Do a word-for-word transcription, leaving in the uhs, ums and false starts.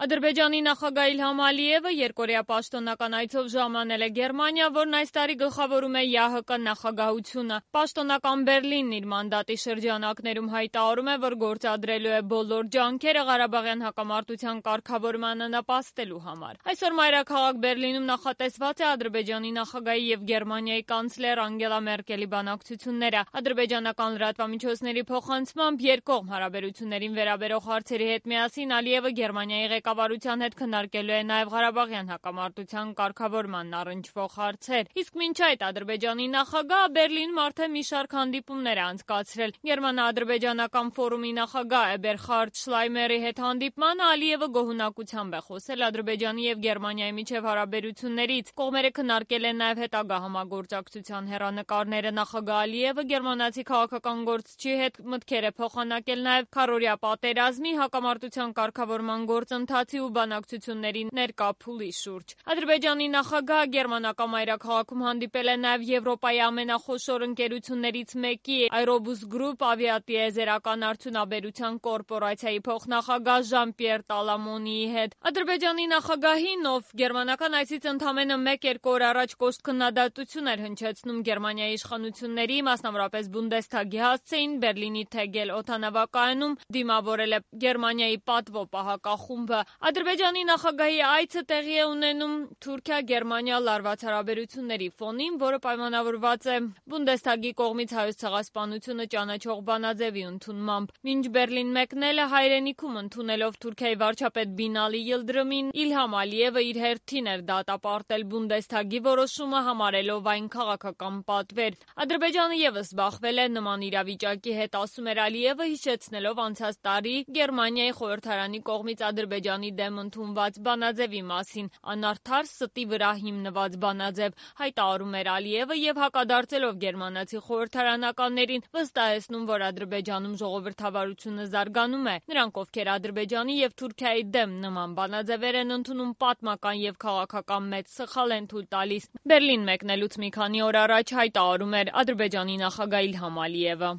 Ադրբեջանի նախագահ Իլհամ Ալիևը երկօրյա պաշտոնական այցով ժամանել է Գերմանիա, որն այս տարի գլխավորում է ԵԱՀԿ նախագահությունը։ Պաշտոնական Բերլինն իր մանդատի շրջանակներում հայտարարում է, որ գործադրելու է բոլոր ջանքերը Ղարաբաղյան հակամարտության կարգավորմանը նպաստելու համար։ Այսօր մայրաքաղաք Բերլինում նախատեսված է Ադրբեջանի նախագահի և Գերմանիայի կանցլեր Անգելա Մերկելի բանակցությունները։ Ադրբեջանական լրատվամիջոցների փոխանցմամբ երկկողմ հարաբերություններին վերաբերող հարցերի հետ միասին Ալիևը Գերմանիայի ղեկավարության հետ քննարկելու է նաև Ղարաբաղյան հակամարտության կարգավորմանն առնչվող հարցեր։ Իսկ մինչ այդ Ադրբեջանի նախագահը Բերլինում արդեն մի շարք հանդիպումներ է անցկացրել։ Գերմանա-ադրբեջանական ֆորումի նախագահ Էբերխարդ Շլայմերի հետ հանդիպմանը Ալիևը գոհունակությամբ է խոսել Ադրբեջանի և Գերմանիայի միջև հարաբերություններից։ Կողմերը քննարկել են նաև հետագա համագործակցության հեռանկարները։ Նախագահ Ալիևը գերմանացի քաղաքական գործչի հետ մտքեր է փոխանակել նաև քառօրյա պատերազմի, հակամարտության կարգավորման գործընթացի ու բանակցությունների ներկա փուլի շուրջ։ Ադրբեջանի նախագահը գերմանական մայրաքաղաքում հանդիպել է նաև Եվրոպայի ամենախոշոր ընկերություններից մեկի Aerobus Group ավիատիեզերական արդյունաբերության կորպորացիայի փոխնախագահ Ժան-Պիեր Տալամոնիի հետ։ Ադրբեջանի նախագահին, ով գերմանական այցից ընդամենը մեկ-երկու օր առաջ կոշտ քննադատություն էր հնչեցնում Գերմանիայի իշխանությունների, մասնավորապես Բունդեսթագի հասցեին, Բերլինի Թեգել օդանավակայանում դիմավորել է Գերմանիայի պատվո պահակախումբը։ Ադրբեջանի նախագահի այցը տեղի է ունենում Թուրքիա-Գերմանիա լարված հարաբերությունների ֆոնին, որը պայմանավորված է Բունդեսթագի կողմից Հայոց ցեղասպանությունը ճանաչող բանաձևի ընդունմամբ։ Մինչ Բերլին մեկնելը հայրենիքում ընդունելով Թուրքիայի վարչապետ Բինալի Յիլդրիմին, Իլհամ Ալիևը իր հերթին էր դատապարտել Բունդեսթագի որոշումը, համարելով այն քաղաքական պատվեր։ Ադրբեջանը ևս բախվել է նման իրավիճակի հետ, ասում էր Ալիևը, հիշեցնելով անցած տարի Գերմանիայի խորհրդարանի կողմից Ադրբեջանի դեմ ընդունված բանաձևի մասին, անարդար ստի վրա հիմնված բանաձև, հայտարարում էր Ալիևը և հակադարձելով գերմանացի խորհրդարանականներին վստահեցնում, որ Ադրբեջանում ժողովրդավարությունը զարգանում է։ Նրանք, ովքեր Ադրբեջանի և Թուրքիայի դեմ նման բանաձևեր են ընդունում, պատմական և քաղաքական մեծ սխալ են թույլ տալիս։ Բերլին մեկնելուց մի քանի օր առաջ հայտարարում էր Ադրբեջանի նախագահ Իլհամ Ալիևը։